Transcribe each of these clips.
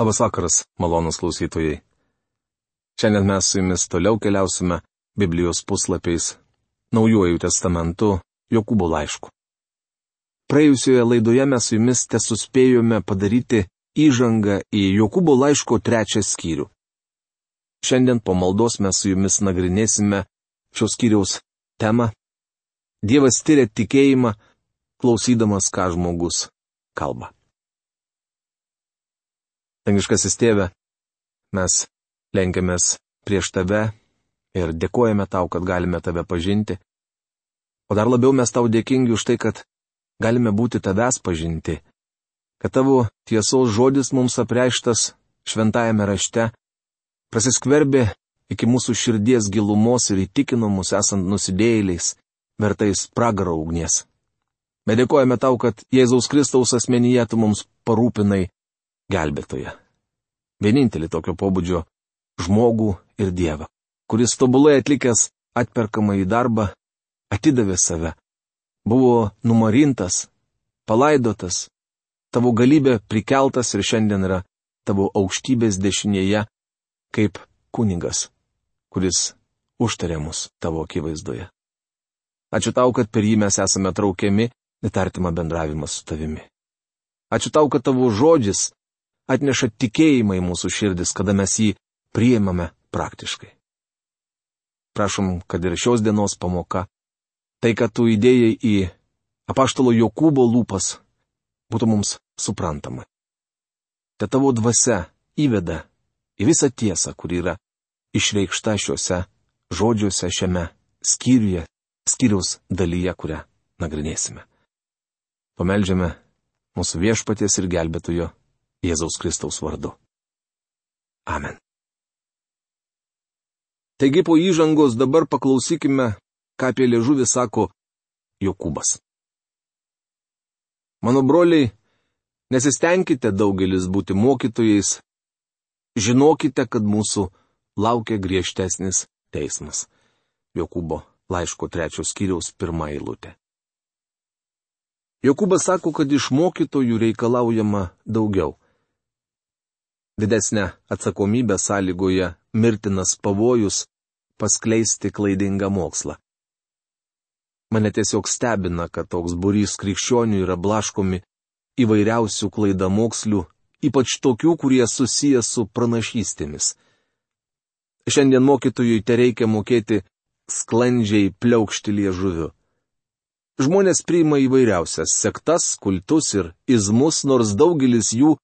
Labas vakaras, malonūs klausytojai. Šiandien mes su jumis toliau keliausime Biblijos puslapiais Naujuoju testamentu Jokūbo laišku. Praėjusioje laidoje mes su jumis tesuspėjome padaryti įžangą į Jokūbo laiško 3 skyrių. Šiandien po maldos mes su jumis nagrinėsime šios skyriaus temą. Dievas tyria tikėjimą, klausydamas, ką žmogus kalba. Dangiškasis Tėve, mes lenkiamės prieš Tave ir dėkojame Tau, kad galime Tave pažinti. O dar labiau mes Tau dėkingi už tai, kad galime būti Tavęs pažinti, kad Tavo tiesos žodis mums apreikštas šventajame rašte prasiskverbė iki mūsų širdies gilumos ir įtikino mus esant nusidėjėliais, vertais pragaro ugnies. Bet dėkojame Tau, kad Jėzaus Kristaus asmenyje Tu mums parūpinai gelbėtoją. Vienintelį tokio pobūdžio žmogų ir Dievą, kuris tobulai atlikęs atperkamąjį darbą, atidavė save, buvo numarintas, palaidotas, Tavo galybė prikeltas ir šiandien yra Tavo aukštybės dešinėje kaip kunigas, kuris užtarė mus Tavo akivaizdoje. Ačiū Tau, kad per jį mes esame traukiami į artimą bendravimą su Tavimi. Ačiū Tau, kad Tavo žodžis atneša tikėjimą į mūsų širdis, kada mes jį priimame praktiškai. Prašom, kad ir šios dienos pamoka, tai, kad Tu įdėjai į apaštalo Jokūbo lūpas, būtų mums suprantama. Te Tavo dvasia įveda į visą tiesą, kuri yra išreikšta šiuose žodžiuose šiame skyriaus dalyje, kurią nagrinėsime. Pameldžiame mūsų viešpaties ir gelbėtojo Jėzaus Kristaus vardu. Amen. Taigi po įžangos dabar paklausykime, ką apie liežuvį sako Jokūbas. Mano broliai, nesistengkite daugelis būti mokytojais, žinokite, kad mūsų laukia griežtesnis teismas. Jokūbo laiško 3 skyriaus 1 eilutė. Jokūbas sako, kad iš mokytojų reikalaujama daugiau. Didesnė atsakomybė sąlygoja mirtinas pavojus paskleisti klaidingą mokslą. Mane tiesiog stebina, kad toks būrys krikščionių yra blaškomi įvairiausių klaidamokslių, ypač tokių, kurie susiję su pranašystėmis. Šiandien mokytojui tereikia mokėti sklandžiai pliaukšti liežuviu. Žmonės priima įvairiausias sektas, kultus ir izmus, nors daugelis jų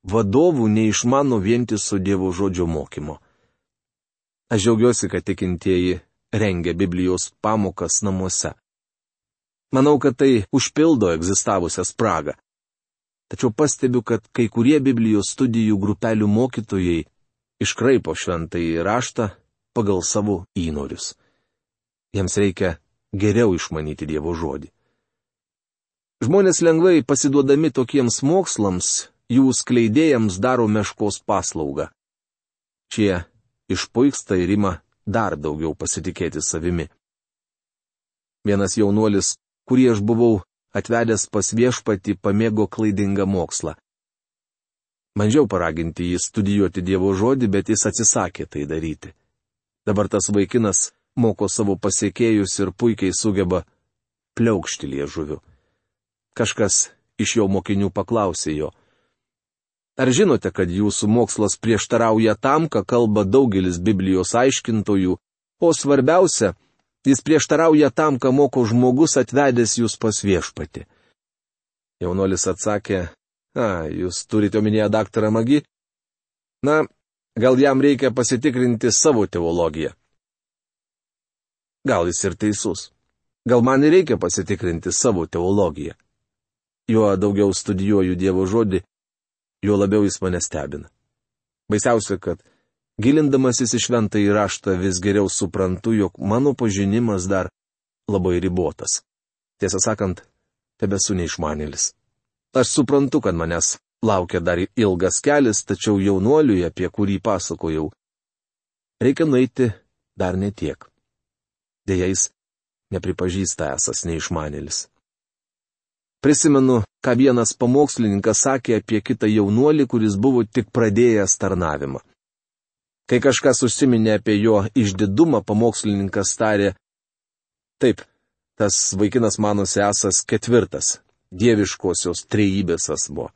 vadovų neišmano vientiso Dievo žodžio mokymo. Aš džiaugiuosi, kad tikintieji rengia Biblijos pamokas namuose. Manau, kad tai užpildo egzistavusią spragą. Tačiau pastebiu, kad kai kurie Biblijos studijų grupelių mokytojai iškraipo šventąjį raštą pagal savo įnorius. Jiems reikia geriau išmanyti Dievo žodį. Žmonės lengvai pasiduodami tokiems mokslams, jų skleidėjams daro meškos paslaugą. Šie išpuiksta ir ima dar daugiau pasitikėti savimi. Vienas jaunuolis, kurį aš buvau atvedęs pas viešpatį, pamėgo klaidingą mokslą. Bandžiau paraginti jį studijuoti Dievo žodį, bet jis atsisakė tai daryti. Dabar tas vaikinas moko savo pasiekėjus ir puikiai sugeba pliaukšti liežuviu. Kažkas iš jo mokinių paklausė jo: ar žinote, kad jūsų mokslas prieštarauja tam, ką kalba daugelis Biblijos aiškintojų, o svarbiausia, jis prieštarauja tam, ką moko žmogus atvedęs jūs pas viešpatį? Jaunuolis atsakė: jūs turite omenyje daktarą Magi? Gal jam reikia pasitikrinti savo teologiją. Gal jis ir teisus. Gal man ir reikia pasitikrinti savo teologiją. Juo daugiau studijuoju Dievo žodį, juo labiau jis mane stebina. Baisiausia, kad gilindamasis į šventąjį raštą vis geriau suprantu, jog mano pažinimas dar labai ribotas. Tiesą sakant, tebesu neišmanėlis. Aš suprantu, kad manęs laukia dar ilgas kelias, tačiau jaunuoliui, apie kurį pasakojau, reikia nueiti dar netiek. Deja, jis nepripažįsta esas neišmanėlis. Prisimenu, ką vienas pamokslininkas sakė apie kitą jaunuolį, kuris buvo tik pradėjęs tarnavimą. Kai kažkas užsiminė apie jo išdidumą, pamokslininkas tarė: taip, tas vaikinas manosi esąs ketvirtas, dieviškosios trejybės asmuo.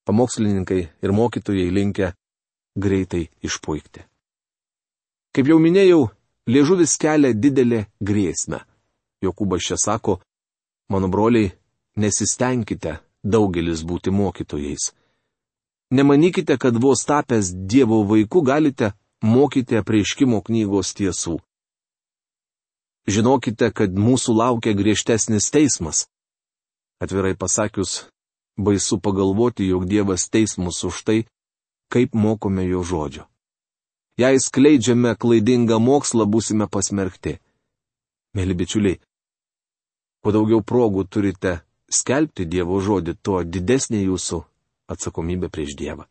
Pamokslininkai ir mokytojai linkę greitai išpuikti. Kaip jau minėjau, liežuvis kelia didelę grėsmę. Jokūbas čia sako: mano broliai, nesistengkite daugelis būti mokytojais. Nemanykite, kad vos tapęs Dievo vaiku galite mokyti apreiškimo knygos tiesų. Žinokite, kad mūsų laukia griežtesnis teismas. Atvirai pasakius, baisu pagalvoti, jog Dievas teis mus už tai, kaip mokome jo žodžio. Jei skleidžiame klaidingą mokslą, būsime pasmerkti. Mėly bičiuliai, kuo daugiau progų turite skelbti Dievo žodį, tuo didesnė jūsų atsakomybė prieš Dievą.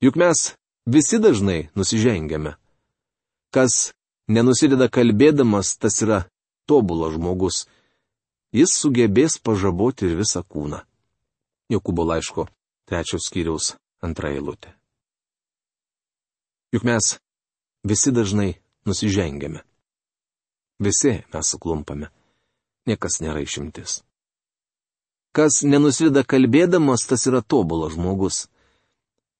Juk mes visi dažnai nusižengiame. Kas nenusideda kalbėdamas, tas yra tobulas žmogus. Jis sugebės pažaboti ir visą kūną. Jokūbo laiško 3 skyriaus 2 eilutė. Juk mes visi dažnai nusižengiame. Visi mes suklumpame. Niekas nėra išimtis. Kas nenusideda kalbėdamas, tas yra tobulas žmogus.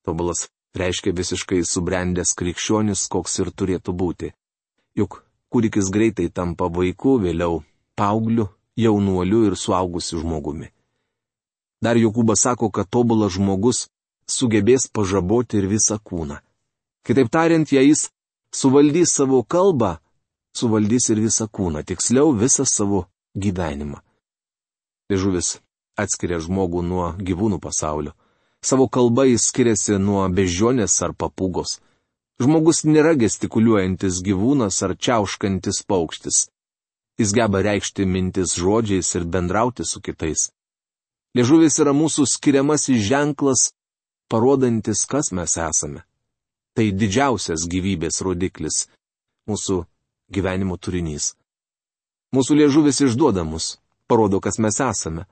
Tobulas reiškia visiškai subrendęs krikščionis, koks ir turėtų būti. Juk kūdikis greitai tampa vaiku, vėliau paaugliu, jaunuoliu ir suaugusiu žmogumi. Dar Jokūbas sako, kad tobulas žmogus sugebės pažaboti ir visą kūną. Kitaip tariant, jei jis suvaldys savo kalbą, suvaldys ir visą kūną, tiksliau visą savo gyvenimą. Liežuvis atskiria žmogų nuo gyvūnų pasaulio. Savo kalba jis skiriasi nuo beždžionės ar papūgos. Žmogus nėra gestikuliuojantis gyvūnas ar čiauškantis paukštis. Jis geba reikšti mintis žodžiais ir bendrauti su kitais. Liežuvis yra mūsų skiriamasis ženklas, parodantis, kas mes esame. Tai didžiausias gyvybės rodiklis, mūsų gyvenimo turinys. Mūsų liežuvis išduoda mus, parodo, kas mes esame.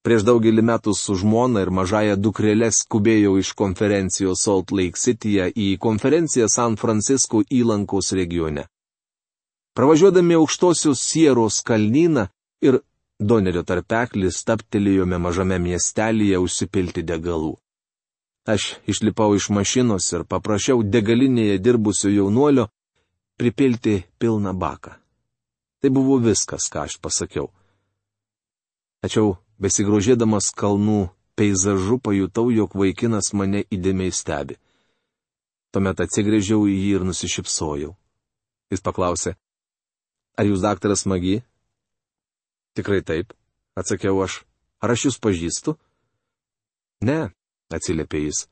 Prieš daugelį metų su žmona ir mažąja dukrele skubėjau iš konferencijos Salt Lake Cityje į konferenciją San Francisco įlankos regione. Pravažiuodami aukštosios Sieros kalnyną ir Donerio tarpeklį stabtelėjome mažame miestelyje užsipilti degalų. Aš išlipau iš mašinos ir paprašiau degalinėje dirbusio jaunuolio pripilti pilną baką. Tai buvo viskas, ką aš pasakiau. Tačiau, besigrožėdamas kalnų peizažu, pajutau, jog vaikinas mane įdėmiai stebi. Tuomet atsigręžiau į jį ir nusišypsojau. Jis paklausė: ar jūs daktaras Magi? Tikrai taip, atsakiau aš. Ar aš jūs pažįstu? Ne, atsiliepė jis.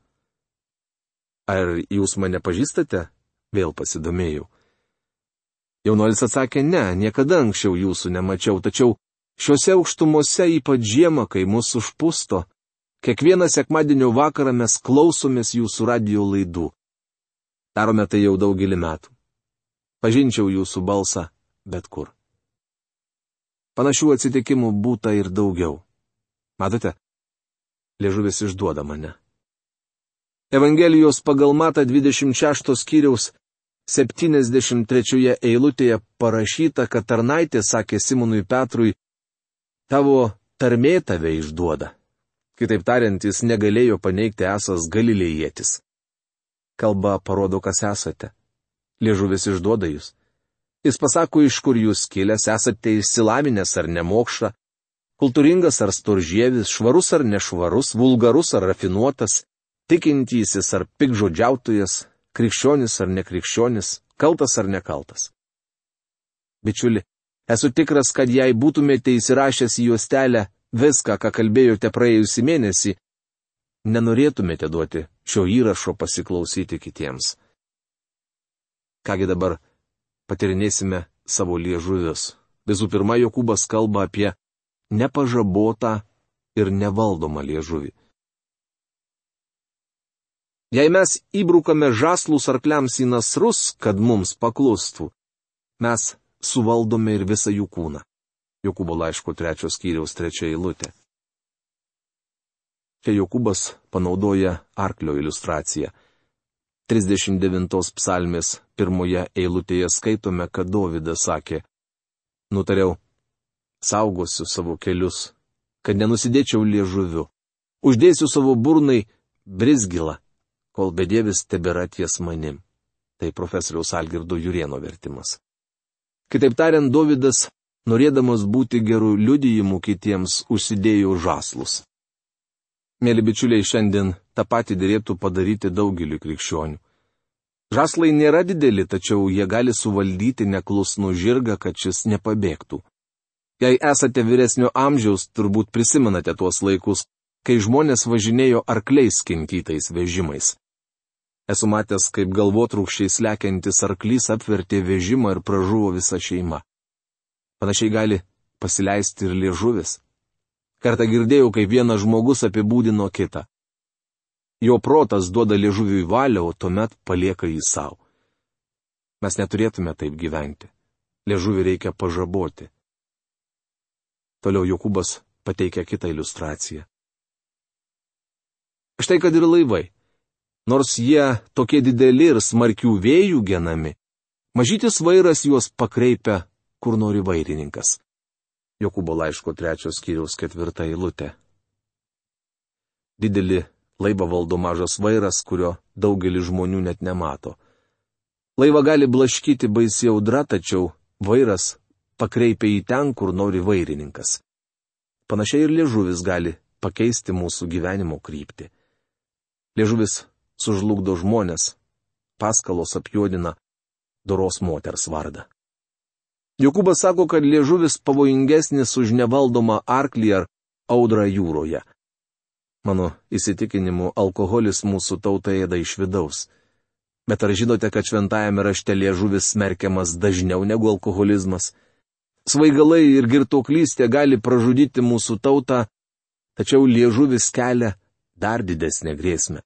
Ar jūs mane pažįstate? Vėl pasidomėjau. Jaunuolis atsakė: ne, niekada anksčiau jūsų nemačiau, tačiau šiuose aukštumose, ypač žiemą, kai mus užpusto, kiekvieną sekmadienio vakarą mes klausomės jūsų radijo laidų. Darome tai jau daugelį metų. Pažinčiau jūsų balsą bet kur. Panašių atsitikimų būta ir daugiau. Matote, liežuvis išduoda mane. Evangelijos pagal Matą 26 skyriaus 73 eilutėje parašyta, kad tarnaitė sakė Simonui Petrui: tavo tarmė tave išduoda. Kitaip tariant, jis negalėjo paneigti esąs galilėjietis. Kalba parodo, kas esate. Liežuvis išduoda jūs. Jis pasako, iš kur jūs kilęs, esate išsilavinęs ar nemokša, kultūringas ar storžievis, švarus ar nešvarus, vulgarus ar rafinuotas, tikintysis ar pikžodžiautojas, krikščionis ar nekrikščionis, kaltas ar nekaltas. Bičiuli, esu tikras, kad jei būtumėte įsirašęs į juostelę viską, ką kalbėjote praėjusį mėnesį, nenorėtumėte duoti šio įrašo pasiklausyti kitiems. Kągi dabar patirinėsime savo liežuvius. Visų pirma, Jokūbas kalba apie nepažabotą ir nevaldomą liežuvį. Jei mes įbrukame žąslus arkliams į nasrus, kad mums paklustų, mes suvaldome ir visą jų kūną. Jokūbo laiško 3 skyriaus 3 eilutė. Čia Jokūbas panaudoja arklio iliustraciją. 39 psalmės 1 eilutėje skaitome, kad Dovydas sakė: Nutariau, saugosiu savo kelius, kad nenusidėčiau liežuviu. Uždėsiu savo burnai brizgilą, kol bedievis tebėra ties manim. Tai profesoriaus Algirdo Jurėno vertimas. Kitaip tariant, Dovydas, norėdamas būti gerų liudijimų kitiems, užsidėjo žąslus. Mėly bičiuliai, šiandien tą patį dėrėtų padaryti daugeliu krikščionių. Žąslai nėra dideli, tačiau jie gali suvaldyti neklusnų žirgą, kad šis nepabėgtų. Jei esate vyresnio amžiaus, turbūt prisimenate tuos laikus, kai žmonės važinėjo arkliais kinkytais vežimais. Esu matęs, kaip galvotrūkščiais lekiantis arklys apvertė vežimą ir pražuvo visa šeima. Panašiai gali pasileisti ir liežuvis. Kartą girdėjau, kaip vienas žmogus apibūdino kitą. Jo protas duoda liežuviui valią, o tuomet palieka jį savo. Mes neturėtume taip gyventi. Liežuvį reikia pažaboti. Toliau Jokūbas pateikia kitą iliustraciją. Štai kad ir laivai. Nors jie tokie dideli ir smarkių vėjų genami, mažytis vairas juos pakreipia, kur nori vairininkas. Jokūbo laiško 3 skyriaus 4 eilutė. Didelį laivą valdo mažas vairas, kurio daugelis žmonių net nemato. Laivą gali blaškyti baisi audra, tačiau vairas pakreipia į ten, kur nori vairininkas. Panašiai ir liežuvis gali pakeisti mūsų gyvenimo kryptį. Liežuvis sužlugdo žmonės, paskalos apjuodina doros moters vardą. Jokūbas sako, kad liežuvis pavojingesnis už nevaldomą arklį ar audrą jūroje. Mano įsitikinimu, alkoholis mūsų tautą ėda iš vidaus. Bet ar žinote, kad šventajame rašte liežuvis smerkiamas dažniau negu alkoholizmas? Svaigalai ir girtuoklystė gali pražudyti mūsų tautą, tačiau liežuvis kelia dar didesnę grėsmę.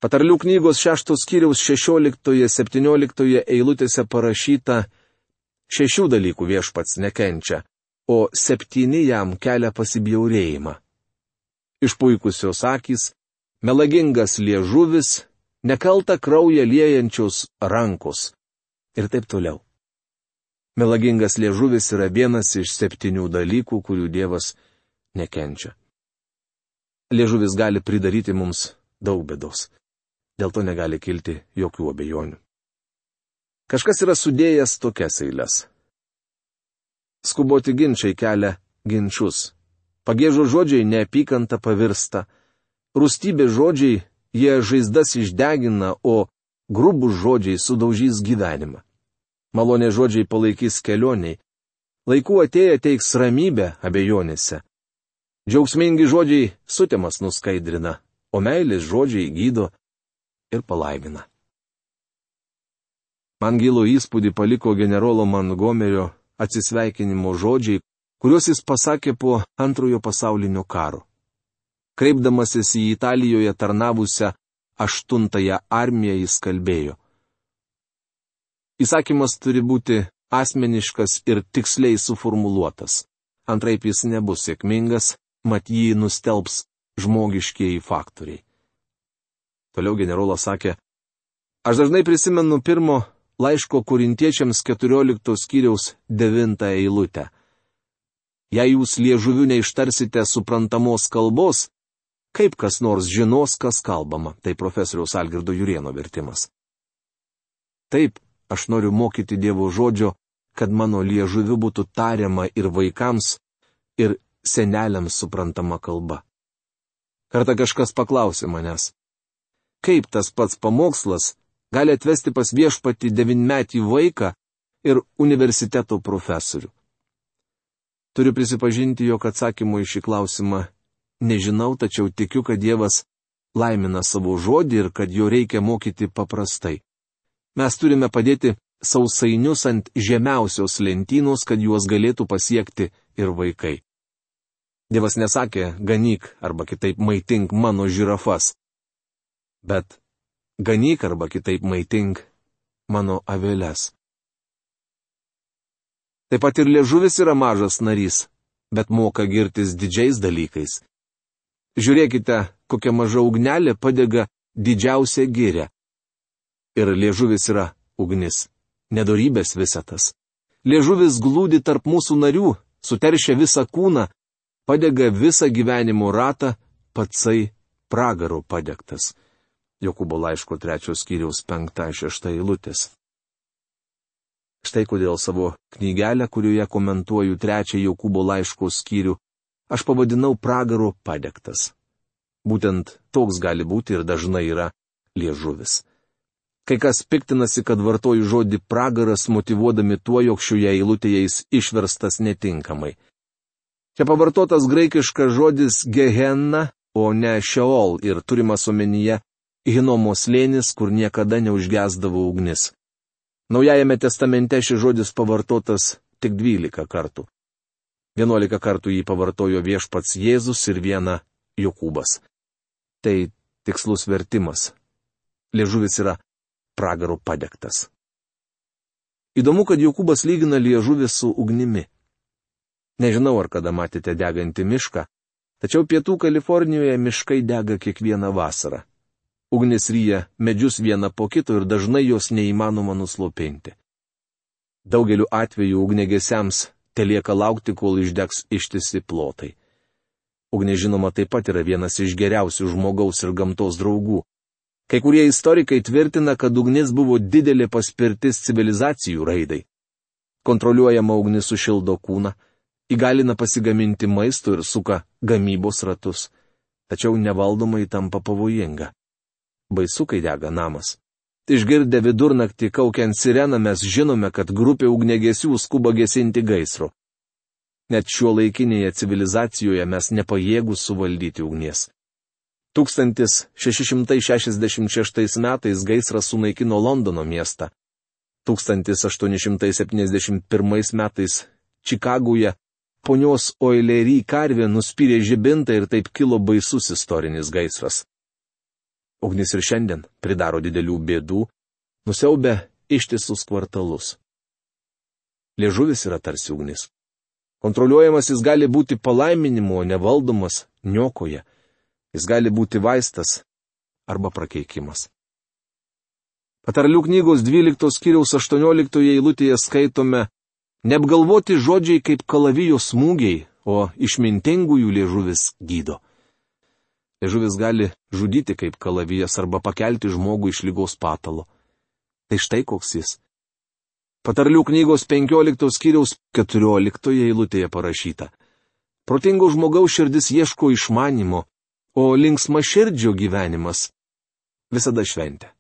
Patarlių knygos 6 skyriaus 16-17 eilutėse parašyta: 6 dalykų viešpats nekenčia, o 7 jam kelia pasibjaurėjimą. Išpuikusios akys, melagingas liežuvis, nekalta kraują liejančios rankos ir taip toliau. Melagingas liežuvis yra vienas iš 7 dalykų, kurių Dievas nekenčia. Liežuvis gali pridaryti mums daug bėdos. Dėl to negali kilti jokių abejonių. Kažkas yra sudėjęs tokias eiles. Skuboti ginčiai kelia ginčius. Pagiežo žodžiai neapykanta pavirsta. Rūstybė žodžiai jie žaizdas išdegina, o grubūs žodžiai sudaužys gyvenimą. Malonė žodžiai palaikys kelioniai. Laiku atėję teiks ramybę abejonėse. Džiaugsmingi žodžiai sutemas nuskaidrina, o meilės žodžiai gydo ir palaimina. Man gilų įspūdį paliko generolo Montgomerio atsisveikinimo žodžiai, kuriuos jis pasakė po Antrojo pasaulinio karo. Kreipdamasis į Italijoje tarnavusią 8-ąją armiją jis kalbėjo: Įsakymas turi būti asmeniškas ir tiksliai suformuluotas. Antraip jis nebus sėkmingas, mat jį nustelbs žmogiškieji faktoriai. Toliau generolas sakė: Aš dažnai prisimenu 1 laiško Korintiečiams 14 skyriaus 9 eilutę. Jei jūs liežuviu neištarsite suprantamos kalbos, kaip kas nors žinos, kas kalbama. Tai profesoriaus Algirdo Jurėno vertimas. Taip, aš noriu mokyti Dievo žodžio, kad mano liežuviu būtų tariama ir vaikams, ir seneliams suprantama kalba. Kartą kažkas paklausė manęs: kaip tas pats pamokslas gali atvesti pas viešpatį 9-metį vaiką ir universiteto profesorių? Turiu prisipažinti, jog atsakymo į šį klausimą nežinau, tačiau tikiu, kad Dievas laimina savo žodį ir kad jo reikia mokyti paprastai. Mes turime padėti sausainius ant žemiausios lentynos, kad juos galėtų pasiekti ir vaikai. Dievas nesakė: ganyk arba kitaip maitink mano žirafas, bet ganyk arba kitaip maitink mano aveles. Taip pat ir liežuvis yra mažas narys, bet moka girtis didžiais dalykais. Žiūrėkite, kokia maža ugnelė padega didžiausią girią. Ir liežuvis yra ugnis, nedorybės visatas. Liežuvis glūdi tarp mūsų narių, suteršia visą kūną, padega visą gyvenimo ratą, patsai pragaro padegtas. Jokūbo laiško 3 skyriaus 5-6 eilutės. Štai kodėl savo knygelę, kurioje komentuoju 3 Jokūbo laiško skyrių, aš pavadinau pragaro padegtas. Būtent toks gali būti ir dažnai yra liežuvis. Kai kas piktinasi, kad vartoju žodį pragaras, motyvuodami tuo, jog šioje eilutėje jis išverstas netinkamai. Čia pavartotas graikiškas žodis gehenna, o ne šeol, ir turimas omenyje Hinomo slėnis, kur niekada neužgesdavo ugnis. Naujajame testamente šis žodis pavartotas tik 12 kartų. 11 kartų jį pavartojo viešpats Jėzus ir 1 Jokūbas. Tai tikslus vertimas. Liežuvis yra pragaro padegtas. Įdomu, kad Jokūbas lygina liežuvį su ugnimi. Nežinau, ar kada matėte degantį mišką, tačiau pietų Kalifornijoje miškai dega kiekvieną vasarą. Ugnis ryja medžius vieną po kito ir dažnai jos neįmanoma nuslopinti. Daugeliu atveju ugnegesiams telieka laukti, kol išdegs ištisi plotai. Ugnis, žinoma, taip pat yra vienas iš geriausių žmogaus ir gamtos draugų. Kai kurie istorikai tvirtina, kad ugnis buvo didelė paspirtis civilizacijų raidai. Kontroliuojama ugnis sušildo kūną, įgalina pasigaminti maisto ir suka gamybos ratus. Tačiau nevaldomai tampa pavojinga. Baisu, kai dega namas. Išgirdę vidurnaktį kaukiant sireną, mes žinome, kad grupė ugnegesių skuba gesinti gaisro. Net šiuolaikinėje civilizacijoje mes nepajėgūs suvaldyti ugnies. 1666 metais gaisras sunaikino Londono miestą. 1871 metais Čikagoje ponios Oilery karvė nuspyrė žibintą ir taip kilo baisus istorinis gaisras. Ugnis ir šiandien pridaro didelių bėdų, nusiaubia ištisus kvartalus. Liežuvis yra tarsi ugnis. Kontroliuojamas jis gali būti palaiminimu, o nevaldomas niokoja. Jis gali būti vaistas arba prakeikimas. Patarlių knygos 12 skyriaus 18 eilutėje skaitome: neapgalvoti žodžiai kaip kalavijo smūgiai, o išmintingųjų liežuvis gydo. Liežuvis gali žudyti kaip kalavijas arba pakelti žmogų iš ligos patalo. Tai štai koks jis. Patarlių knygos 15 skyriaus 14 eilutėje parašyta: protingo žmogaus širdis ieško išmanimo, o linksmaširdžio gyvenimas visada šventė.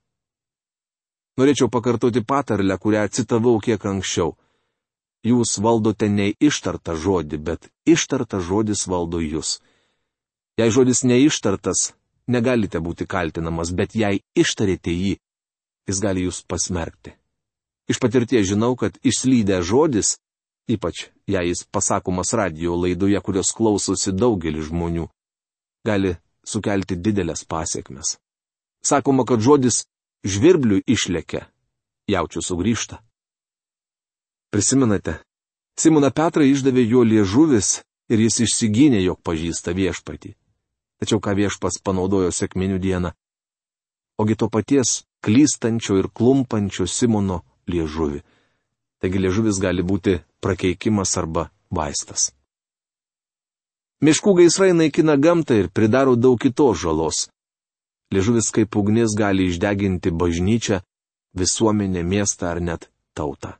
Norėčiau pakartoti patarlę, kurią citavau kiek anksčiau. Jūs valdote ne ištartą žodį, bet ištartas žodis valdo jūs. Jei žodis neištartas, negalite būti kaltinamas, bet jei ištarėte jį, jis gali jūs pasmerkti. Iš patirties žinau, kad išslydę žodis, ypač jei jis pasakomas radijo laidoje, kurios klausosi daugelis žmonių, gali sukelti didelės pasiekmes. Sakoma, kad žodis žvirbliui išlekia, jaučiu sugrįžta. Prisimenate, Simoną Petrą išdavė jo liežuvis ir jis išsigynė, jog pažįsta viešpatį. Tačiau ką viešpas panaudojo sekminių dieną? Ogi to paties klystančio ir klumpančio Simono liežuvį. Taigi liežuvis gali būti prakeikimas arba vaistas. Miškų gaisrai naikina gamtą ir pridaro daug kitos žalos. Liežuvis kaip ugnis gali išdeginti bažnyčią, visuomenę, miestą ar net tautą.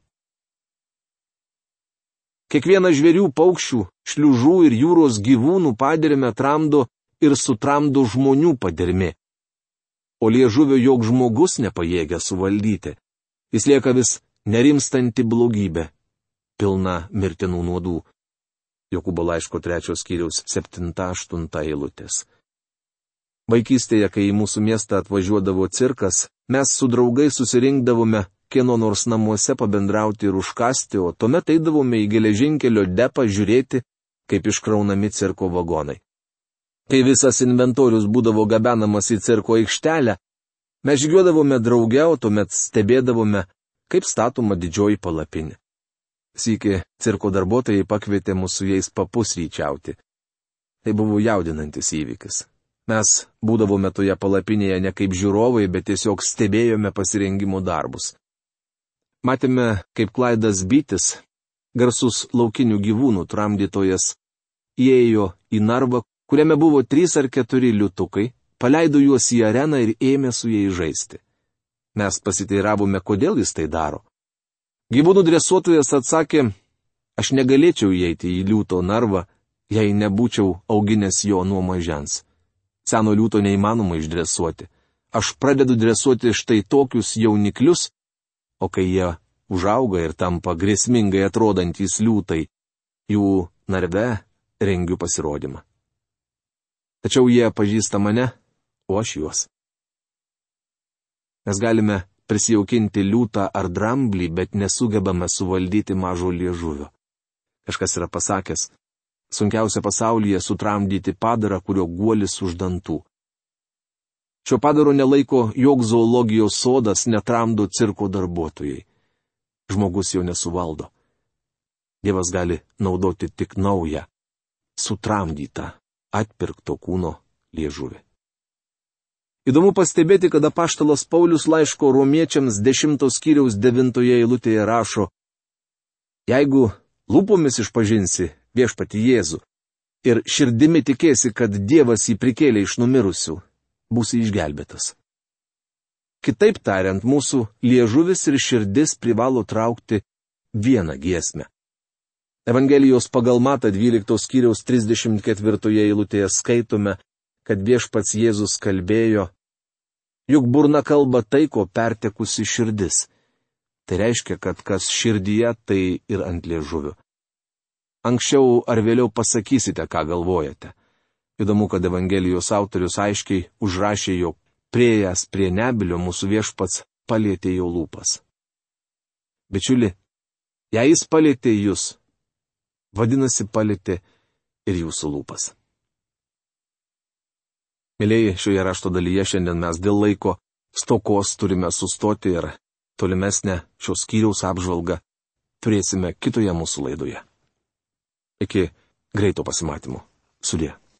Kiekvieną žvėrių, paukščių, šliužų ir jūros gyvūnų padermę tramdo ir sutramdo žmonių padermė. O liežuvio jog žmogus nepajėgia suvaldyti. Jis lieka vis nerimstanti blogybė, pilna mirtinų nuodų. Jokūbo laiško 3 skyriaus 7-8 eilutės. Vaikystėje, kai į mūsų miestą atvažiuodavo cirkas, mes su draugais susirinkdavome kieno nors namuose pabendrauti ir užkasti, o tuomet eidavome į geležinkelio depą žiūrėti, kaip iškraunami cirko vagonai. Kai visas inventorius būdavo gabenamas į cirko aikštelę, mes žygiuodavome drauge, o tuomet stebėdavome, kaip statoma didžioji palapinė. Sykį cirko darbuotojai pakvietė mus su jais papusryčiauti. Tai buvo jaudinantis įvykis. Mes būdavome toje palapinėje ne kaip žiūrovai, bet tiesiog stebėjome pasirengimo darbus. Matėme, kaip Klaidas Bytis, garsus laukinių gyvūnų tramdytojas, įėjo į narvą, kuriame buvo 3 ar 4 liūtukai, paleido juos į areną ir ėmė su jais žaisti. Mes pasiteiravome, kodėl jis tai daro. Gyvūnų dresuotojas atsakė, aš negalėčiau įeiti į liūto narvą, jei nebūčiau auginęs jo nuo mažens. Seno liūto neįmanoma išdresuoti. Aš pradedu dresuoti štai tokius jauniklius, o kai jie užauga ir tampa grėsmingai atrodantys liūtai, jų narve rengiu pasirodymą. Tačiau jie pažįsta mane, o aš juos. Mes galime prisijaukinti liūtą ar dramblį, bet nesugebame suvaldyti mažo liežuvio. Kažkas yra pasakęs, sunkiausia pasaulyje sutramdyti padarą, kurio guolis už dantų. Šio padaro nelaiko joks zoologijos sodas, netramdo cirko darbuotojai. Žmogus jo nesuvaldo. Dievas gali naudoti tik naują, sutramdytą, atpirkto kūno liežuvį. Įdomu pastebėti, kad apaštalas Paulius laiško Romiečiams 10 skyriaus 9 eilutėje rašo, jeigu lūpomis išpažinsi viešpatį Jėzų ir širdimi tikėsi, kad Dievas jį prikėlė iš numirusių, būsi išgelbėtas. Kitaip tariant, mūsų liežuvis ir širdis privalo traukti vieną giesmę. Evangelijos pagal Matą 12 skyriaus 34 eilutėje skaitome, kad viešpats Jėzus kalbėjo, juk burna kalba tai, ko pertekusi širdis. Tai reiškia, kad kas širdyje, tai ir ant liežuvio. Anksčiau ar vėliau pasakysite, ką galvojate. Įdomu, kad Evangelijos autorius aiškiai užrašė, jog priėjęs prie nebylio mūsų viešpats palietė jo lūpas. Bičiuli, jei jis palietė jūs, vadinasi palietė ir jūsų lūpas. Mėlyjeji, šioje rašto dalyje šiandien mes dėl laiko stokos turime sustoti ir tolimesnę šios skyriaus apžvalgą turėsime kitoje mūsų laidoje. Iki greito pasimatymo. Sudie.